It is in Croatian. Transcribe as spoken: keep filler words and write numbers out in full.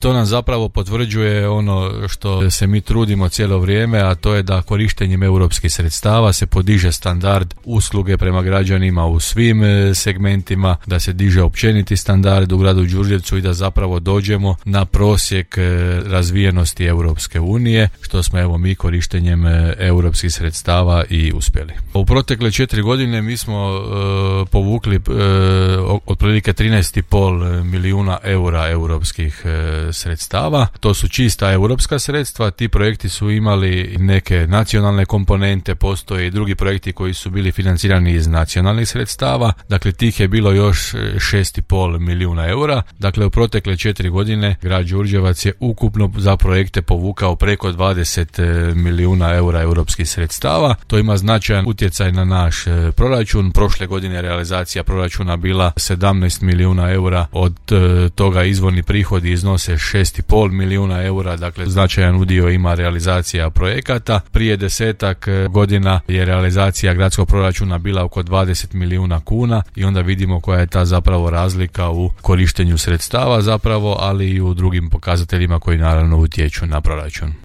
To nam zapravo potvrđuje ono što se mi trudimo cijelo vrijeme, a to je da korištenjem europskih sredstava se podiže standard usluge prema građanima u svim segmentima, da se diže općeniti standard u gradu Đurđevcu i da zapravo dođemo na prosjek razvijenosti Europske unije, što smo evo mi korištenjem europskih sredstava i uspjeli. U protekle četiri godine mi smo uh, povukli uh, otprilike trinaest i pol milijuna eura europskih uh, sredstava. To su čista europska sredstva. Ti projekti su imali neke nacionalne komponente, postoje i drugi projekti koji su bili financirani iz nacionalnih sredstava. Dakle, tih je bilo još šest i pol milijuna eura. Dakle, u protekle četiri godine grad Đurđevac je ukupno za projekte povukao preko dvadeset milijuna eura europskih sredstava. To ima značajan utjecaj na naš proračun. Prošle godine realizacija proračuna bila sedamnaest milijuna eura, od toga izvorni prihodi iznose šest i pol milijuna eura, dakle značajan udio ima realizacija projekata. Prije desetak godina je realizacija gradskog proračuna bila oko dvadeset milijuna kuna i onda vidimo koja je ta zapravo razlika u korištenju sredstava zapravo, ali i u drugim pokazateljima koji naravno utječu na proračun.